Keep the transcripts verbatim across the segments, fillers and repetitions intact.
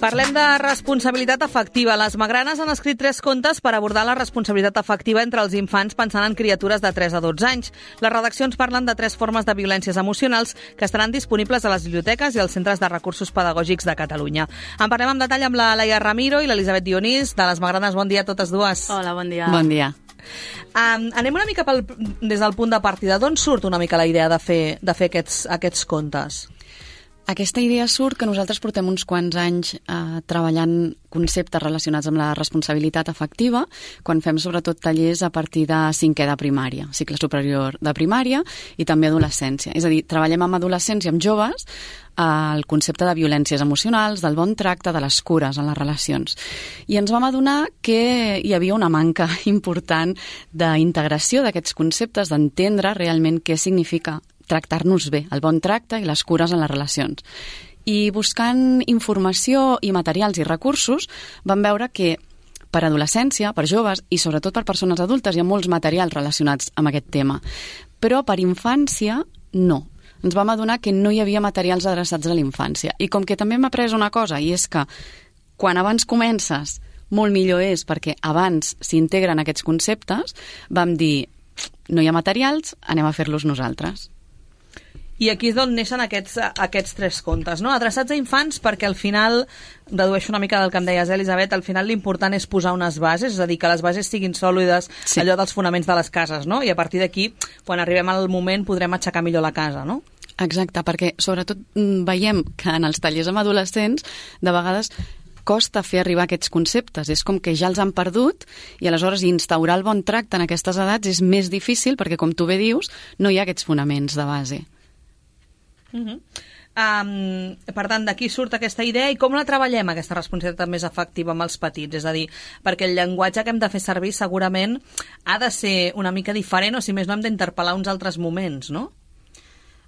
Parlem de responsabilitat afectiva. Les Magranes han escrit tres contes per abordar la responsabilitat afectiva entre els infants pensant en criatures de tres a dotze anys. Les redaccions parlen de tres formes de violències emocionals que estaran disponibles a les biblioteques i als centres de recursos pedagògics de Catalunya. En parlem amb detall amb la Laia Ramiro i l'Elisabet Dionís de les Magranes. Bon dia a totes dues. Hola, bon dia. Bon dia. Um, anem una mica pel, des del punt de partida. D'on surt una mica la idea de fer, de fer aquests, aquests contes? Aquesta idea surt que nosaltres portem uns quants anys eh, treballant conceptes relacionats amb la responsabilitat afectiva, quan fem sobretot tallers a partir de cinquè de primària, cicle superior de primària i també adolescència. És a dir, treballem amb adolescents i amb joves eh, el concepte de violències emocionals, del bon tracte, de les cures en les relacions. I ens vam adonar que hi havia una manca important d'integració d'aquests conceptes, d'entendre realment què significa tractar-nos bé, el bon tracte i les cures en les relacions. I buscant informació i materials i recursos vam veure que per adolescència, per joves i sobretot per persones adultes hi ha molts materials relacionats amb aquest tema. Però per infància no. Ens vam adonar que no hi havia materials adreçats a la infància. I com que també hem après una cosa, i és que quan abans comences molt millor és perquè abans s'integren aquests conceptes, vam dir no hi ha materials, anem a fer-los nosaltres. I aquí és d'on neixen aquests, aquests tres contes, no? Adreçats a infants perquè al final, redueixo una mica del que em deies, Elisabet, al final l'important és posar unes bases, és a dir, que les bases siguin sòlides, sí. Allò dels fonaments de les cases, no? I a partir d'aquí, quan arribem al moment, podrem aixecar millor la casa, no? Exacte, perquè sobretot veiem que en els tallers amb adolescents, de vegades costa fer arribar aquests conceptes, és com que ja els han perdut i aleshores instaurar el bon tracte en aquestes edats és més difícil perquè, com tu bé dius, no hi ha aquests fonaments de base. Uh-huh. Um, per tant, d'aquí surt aquesta idea i com la treballem, aquesta responsabilitat més afectiva amb els petits? És a dir, perquè el llenguatge que hem de fer servir segurament ha de ser una mica diferent o si més no hem d'interpel·lar uns altres moments, no?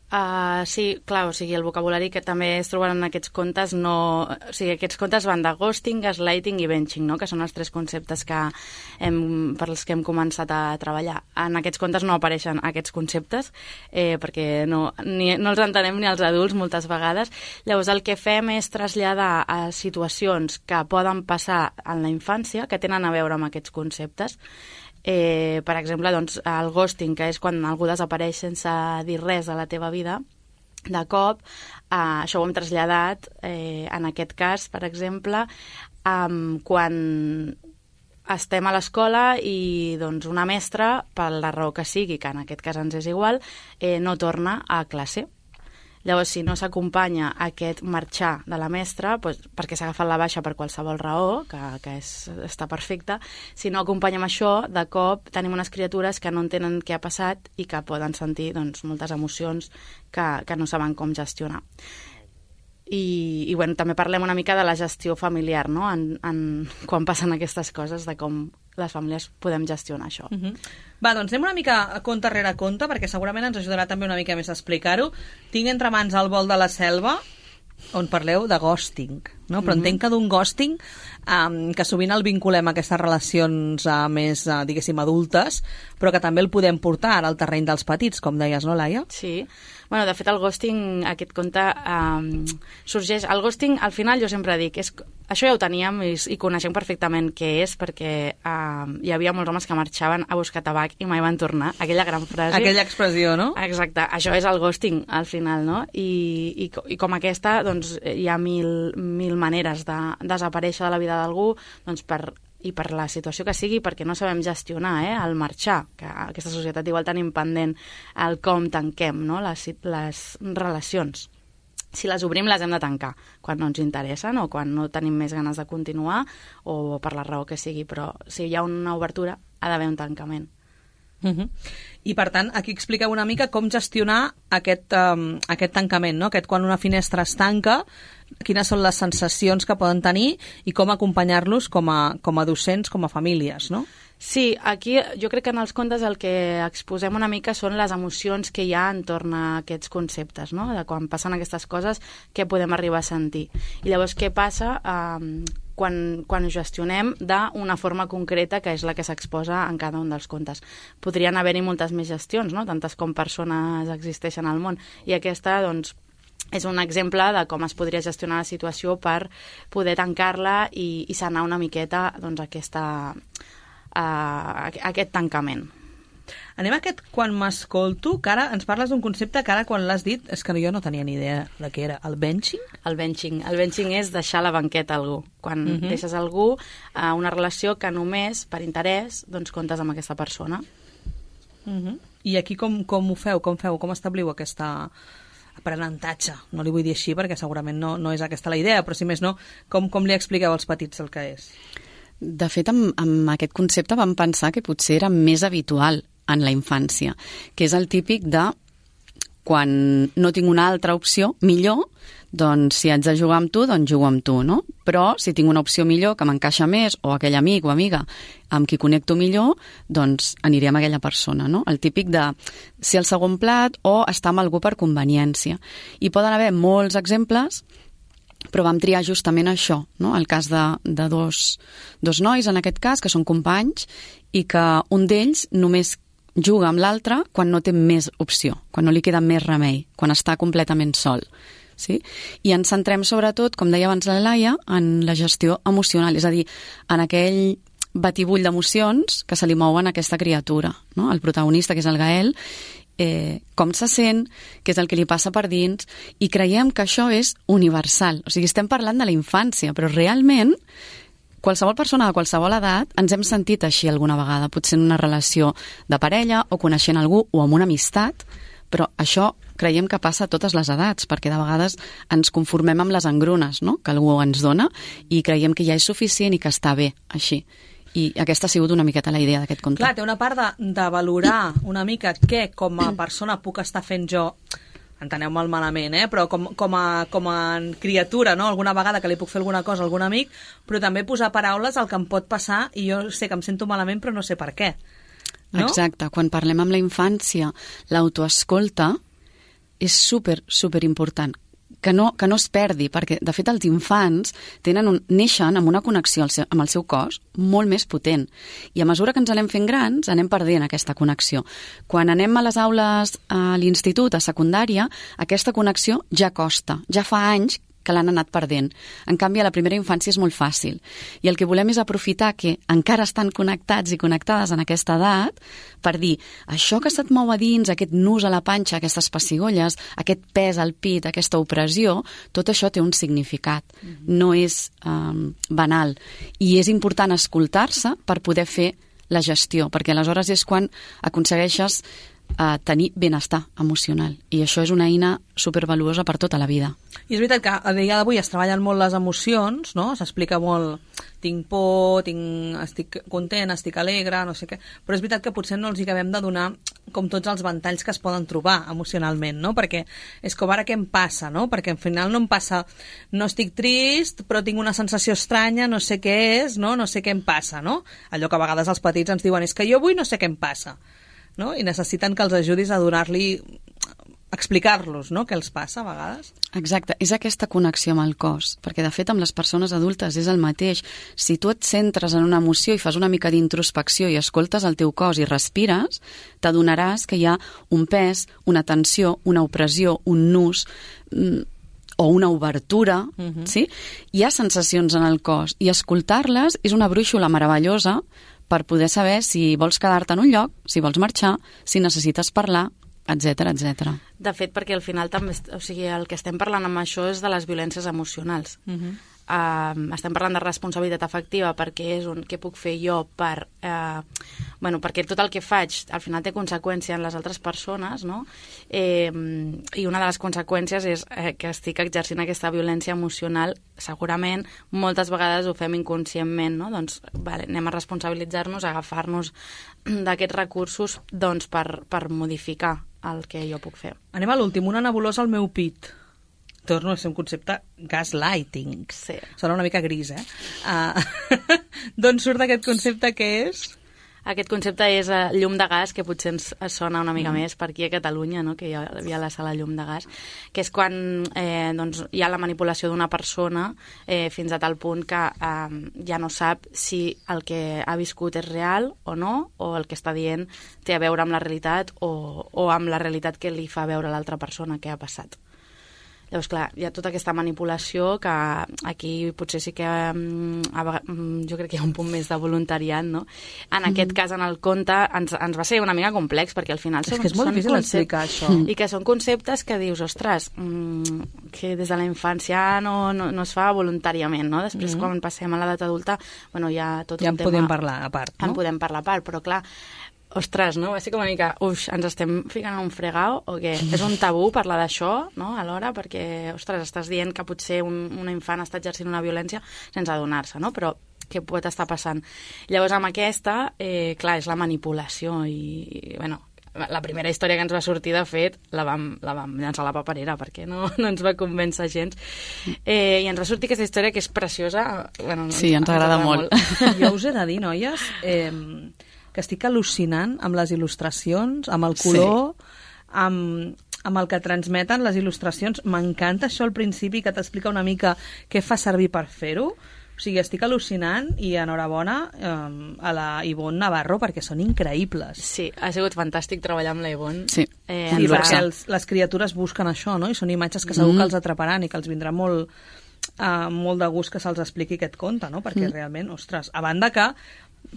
Uh, sí, clar, o sigui, el vocabulari que també es troben en aquests contes no... O sigui, aquests contes van de ghosting, gaslighting i benching, no? Que són els tres conceptes que hem, per els que hem començat a treballar. En aquests contes no apareixen aquests conceptes eh, perquè no, ni, no els entenem ni els adults moltes vegades. Llavors el que fem és traslladar a situacions que poden passar en la infància que tenen a veure amb aquests conceptes. Eh, per exemple, doncs, el ghosting, que és quan algú desapareix sense dir res de la teva vida, de cop, eh, això ho hem traslladat, eh, en aquest cas, per exemple, eh, quan estem a l'escola i doncs, una mestra, per la raó que sigui, que en aquest cas ens és igual, eh, no torna a classe. Llavors, si no s'acompanya aquest marxar de la mestra, doncs, perquè s'ha agafat la baixa per qualsevol raó, que, que és, està perfecta, si no acompanyem això, de cop tenim unes criatures que no entenen què ha passat i que poden sentir doncs, moltes emocions que, que no saben com gestionar. I, i bueno, també parlem una mica de la gestió familiar, no? en, en, quan passen aquestes coses, de com les famílies podem gestionar això. Uh-huh. Va, doncs anem una mica conte rere conte, perquè segurament ens ajudarà també una mica més a explicar-ho. Tinc entre mans El vol de la selva, on parleu de ghosting, no? Però uh-huh. entenc que d'un ghosting um, que sovint el vinculem a aquestes relacions uh, més, uh, diguéssim, adultes, però que també el podem portar al terreny dels petits, com deies, no, Laia? Sí. Bueno, de fet, el ghosting, aquest conte, um, sorgeix... El ghosting, al final, jo sempre dic, és, això ja ho teníem i, i coneixem perfectament què és, perquè um, hi havia molts homes que marxaven a buscar tabac i mai van tornar. Aquella gran frase... Aquella expressió, no? Exacte. Això és el ghosting, al final, no? I, i, i com aquesta, doncs, hi ha mil, mil maneres de desaparèixer de la vida d'algú, doncs, per... i per la situació que sigui, perquè no sabem gestionar eh, el marxar, que aquesta societat igual tenim pendent el com tanquem no, les, les relacions. Si les obrim, les hem de tancar quan no ens interessen o quan no tenim més ganes de continuar o per la raó que sigui, però si hi ha una obertura, ha d'haver un tancament. Uh-huh. I per tant, aquí expliqueu una mica com gestionar aquest, um, aquest tancament, no? Aquest quan una finestra es tanca, quines són les sensacions que poden tenir i com acompanyar-los com a, com a docents, com a famílies, no? Sí, aquí jo crec que en els contes el que exposem una mica són les emocions que hi ha entorn a aquests conceptes, no? De quan passen aquestes coses, què podem arribar a sentir. I llavors què passa eh, quan, quan ho gestionem d'una forma concreta que és la que s'exposa en cada un dels contes. Podrien haver-hi moltes més gestions, no? Tantes com persones existeixen al món. I aquesta, doncs, és un exemple de com es podria gestionar la situació per poder tancar-la i, i sanar una miqueta doncs, aquesta, uh, aquest tancament. Anem a aquest quan m'escolto, que ara ens parles d'un concepte que ara quan l'has dit és que jo no tenia ni idea de què era. El benching? El benching. El benching és deixar la banqueta a algú. Quan uh-huh. deixes a algú a una relació que només per interès doncs comptes amb aquesta persona. Uh-huh. I aquí com, com ho feu? Com feu? Com establiu aquesta aprenentatge? No li vull dir així perquè segurament no, no és aquesta la idea, però si més no, com, com li expliqueu als petits el que és? De fet, amb, amb aquest concepte vam pensar que potser era més habitual en la infància, que és el típic de quan no tinc una altra opció millor, doncs si haig de jugar amb tu, doncs jugo amb tu, no? Però si tinc una opció millor que m'encaixa més, o aquell amic o amiga amb qui connecto millor, doncs aniré amb aquella persona, no? El típic de ser el segon plat o estar amb algú per conveniència. I poden haver molts exemples, però vam triar justament això, no? El cas de, de dos, dos nois, en aquest cas, que són companys, i que un d'ells només juga amb l'altre quan no té més opció, quan no li queda més remei, quan està completament sol. Sí? I ens centrem sobretot, com deia abans la Laia, en la gestió emocional, és a dir, en aquell batibull d'emocions que se li mouen a aquesta criatura, no? El protagonista, que és el Gael, eh, com se sent, què és el que li passa per dins, i creiem que això és universal. O sigui, estem parlant de la infància, però realment qualsevol persona de qualsevol edat ens hem sentit així alguna vegada, potser en una relació de parella o coneixent algú o amb una amistat, però això creiem que passa a totes les edats, perquè de vegades ens conformem amb les engrunes, no?, que algú ens dona i creiem que ja és suficient i que està bé així. I aquesta ha sigut una miqueta la idea d'aquest conte. Clar, té una part de, de valorar una mica què com a persona puc estar fent jo, enteneu-me'l malament, eh? Però com, com, a, com a criatura, no? Alguna vegada que li puc fer alguna cosa a algun amic, però també posar paraules al que em pot passar i jo sé que em sento malament però no sé per què. No? Exacte, quan parlem amb la infància, l'autoescolta és super, super important. Que no, que no es perdi, perquè de fet els infants tenen un, neixen amb una connexió al seu, amb el seu cos molt més potent, i a mesura que ens anem fent grans anem perdent aquesta connexió. Quan anem a les aules a l'institut, a secundària, aquesta connexió ja costa, ja fa anys que l'han anat perdent. En canvi, a la primera infància és molt fàcil. I el que volem és aprofitar que encara estan connectats i connectades en aquesta edat per dir, això que se't mou a dins, aquest nus a la panxa, aquestes pessigolles, aquest pes al pit, aquesta opressió, tot això té un significat. Mm-hmm. No és um, banal. I és important escoltar-se per poder fer la gestió, perquè aleshores és quan aconsegueixes a tenir benestar emocional, i això és una eina supervaluosa per tota la vida. I és veritat que a dia d'avui es treballen molt les emocions, no? S'explica molt, tinc por, tinc, estic content, estic alegre, no sé què, però és veritat que potser no els hi acabem de donar com tots els ventalls que es poden trobar emocionalment, no? Perquè és com ara què em passa, no? Perquè al final no em passa, no estic trist, però tinc una sensació estranya, no sé què és, no? No sé què em passa, no? Allò que a vegades els petits ens diuen, és que jo avui no sé què em passa. No? I necessiten que els ajudis a donar-li, explicar-los, no?, què els passa a vegades. Exacte, és aquesta connexió amb el cos, perquè de fet amb les persones adultes és el mateix. Si tu et centres en una emoció i fas una mica d'introspecció i escoltes el teu cos i respires, t'adonaràs que hi ha un pes, una tensió, una opressió, un nus, o una obertura, uh-huh. sí? Hi ha sensacions en el cos, i escoltar-les és una brúixola meravellosa per poder saber si vols quedar-te en un lloc, si vols marxar, si necessites parlar, etcètera, etcètera. De fet, perquè al final també, o sigui, el que estem parlant amb això és de les violències emocionals. Uh-huh. Uh, estem parlant de responsabilitat afectiva perquè és un què puc fer jo per uh, bueno, perquè tot el que faig al final té conseqüència en les altres persones, no? Eh, i una de les conseqüències és eh, que estic exercint aquesta violència emocional, segurament moltes vegades ho fem inconscientment, no? Doncs vale, anem a responsabilitzar-nos, a agafar-nos d'aquests recursos doncs, per, per modificar el que jo puc fer. Anem a l'últim, una nebulosa al meu pit. Torno a ser un concepte gaslighting. Sí. Sona una mica gris, eh? Uh, D'on surt aquest concepte que és? Aquest concepte és uh, llum de gas, que potser ens sona una mica mm. més per aquí a Catalunya, no? Que hi ha, hi ha la sala llum de gas, que és quan eh, doncs, hi ha la manipulació d'una persona eh, fins a tal punt que eh, ja no sap si el que ha viscut és real o no, o el que està dient té a veure amb la realitat o, o amb la realitat que li fa veure l'altra persona que ha passat. Llavors, clar, hi ha tota aquesta manipulació que aquí potser sí que um, jo crec que hi ha un punt més de voluntariat, no? En mm. aquest cas, en el conte, ens, ens va ser una mica complex, perquè al final són, és que és molt són difícil explicar això. I que són conceptes que dius, ostres, mmm, que des de la infància no, no, no es fa voluntàriament, no? Després, mm. quan passem a l'edat adulta, bueno, hi ha tot ja un tema... Ja en podem parlar a part, no? En podem parlar a part, però clar, ostres, no? Va ser com una mica, ux, ens estem ficant un fregau o què? És un tabú parlar d'això, no?, alhora, perquè, ostres, estàs dient que potser un, un infant està exercint una violència sense adonar-se, no? Però què pot estar passant? Llavors, amb aquesta, eh, clar, és la manipulació i, i, bueno, la primera història que ens va sortir, de fet, la vam, la vam llançar a la paperera perquè no, no ens va convèncer gens. Eh, I ens va sortir aquesta història que és preciosa. Bueno, sí, ens, ens agrada, agrada molt. molt. Jo us he de dir, noies, eh, que estic al·lucinant amb les il·lustracions, amb el color, sí. amb, amb el que transmeten les il·lustracions. M'encanta això al principi, que t'explica una mica què fa servir per fer-ho. O sigui, estic al·lucinant i enhorabona eh, a la Ivonne Navarro perquè són increïbles. Sí, ha sigut fantàstic treballar amb la Ivonne. Sí, eh, sí perquè els, les criatures busquen això, no? I són imatges que segur mm. que els atraparan i que els vindrà molt, uh, molt de gust que se'ls expliqui aquest conte, no? Perquè mm. realment, ostres, a banda que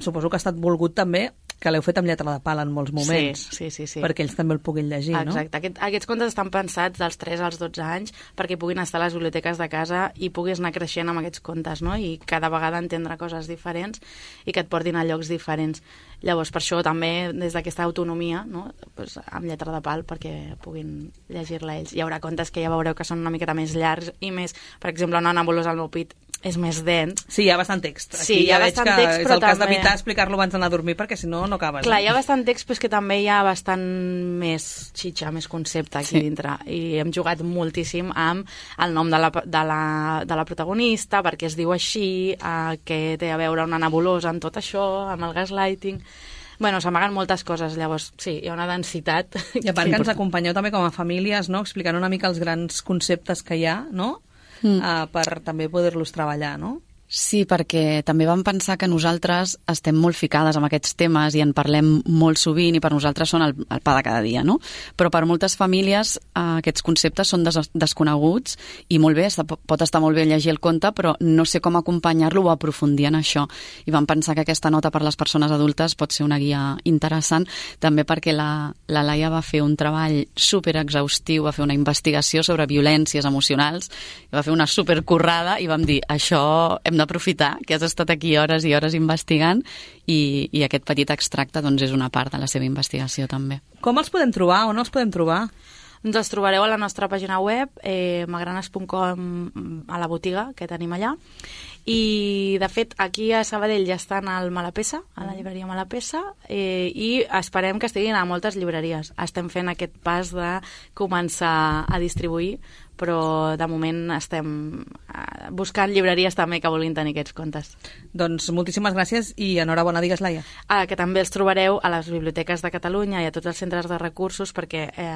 suposo que ha estat volgut també que l'heu fet amb lletra de pal en molts moments, sí, sí, sí, sí. perquè ells també el puguin llegir, Exacte. no? Exacte. Aquest, aquests contes estan pensats dels tres als dotze anys perquè puguin estar a les biblioteques de casa i puguis anar creixent amb aquests contes, no? I cada vegada entendre coses diferents i que et portin a llocs diferents. Llavors, per això també, des d'aquesta autonomia, no? Pues, amb lletra de pal, perquè puguin llegir-la ells. Hi haurà contes que ja veureu que són una miqueta més llargs i més, per exemple, una nebulosa al meu pit és més dens. Sí, hi ha bastant text. Aquí sí, hi ha ja bastant veig que text, és però el cas també... d'evitar explicar-lo abans d'anar a dormir, perquè si no, no acabes. Clar, eh? hi ha bastant text, però és que també hi ha bastant més xitxa, més concepte aquí sí. dintre. I hem jugat moltíssim amb el nom de la, de la, de la protagonista, perquè es diu així, eh, que té a veure una nebulosa en tot això, amb el gaslighting... Bueno, s'amaguen moltes coses, llavors, sí, hi ha una densitat. I a part que ens acompanyeu també com a famílies, no?, explicant una mica els grans conceptes que hi ha, no?, mm. uh, per també poder-los treballar, no? Sí, perquè també vam pensar que nosaltres estem molt ficades amb aquests temes i en parlem molt sovint i per nosaltres són el, el pa de cada dia, no? Però per moltes famílies eh, aquests conceptes són des, desconeguts i molt bé, està, pot estar molt bé llegir el conte, però no sé com acompanyar-lo o aprofundir en això. I vam pensar que aquesta nota per les persones adultes pot ser una guia interessant, també perquè la, la Laia va fer un treball superexhaustiu, va fer una investigació sobre violències emocionals, va fer una supercurrada i vam dir, això hem d'aprofitar que has estat aquí hores i hores investigant i, i aquest petit extracte doncs, és una part de la seva investigació també. Com els podem trobar? On els podem trobar? Doncs els trobareu a la nostra pàgina web, eh, magranes punt com, a la botiga que tenim allà. I, de fet, aquí a Sabadell ja estan al Malapessa, a la llibreria Malapessa, eh, i esperem que estiguin a moltes llibreries. Estem fent aquest pas de començar a distribuir, però de moment estem buscant llibreries també que vulguin tenir aquests contes. Doncs moltíssimes gràcies i enhorabona, digues, Laia. Ah, que també els trobareu a les biblioteques de Catalunya i a tots els centres de recursos perquè eh,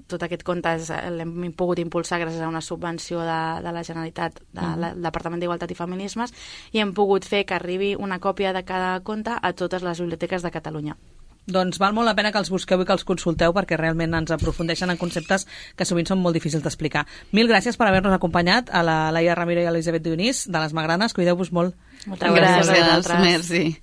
tot aquest conte l'hem pogut impulsar gràcies a una subvenció de, de la Generalitat, del uh-huh. Departament d'Igualtat i Feminismes, i hem pogut fer que arribi una còpia de cada conte a totes les biblioteques de Catalunya. Doncs val molt la pena que els busqueu i que els consulteu perquè realment ens aprofundeixen en conceptes que sovint són molt difícils d'explicar. Mil gràcies per haver-nos acompanyat, a la Laia Ramiro i a l'Elisabet Dionís de les Magranes. Cuideu-vos molt. Moltes gràcies, gràcies a vosaltres. Merci.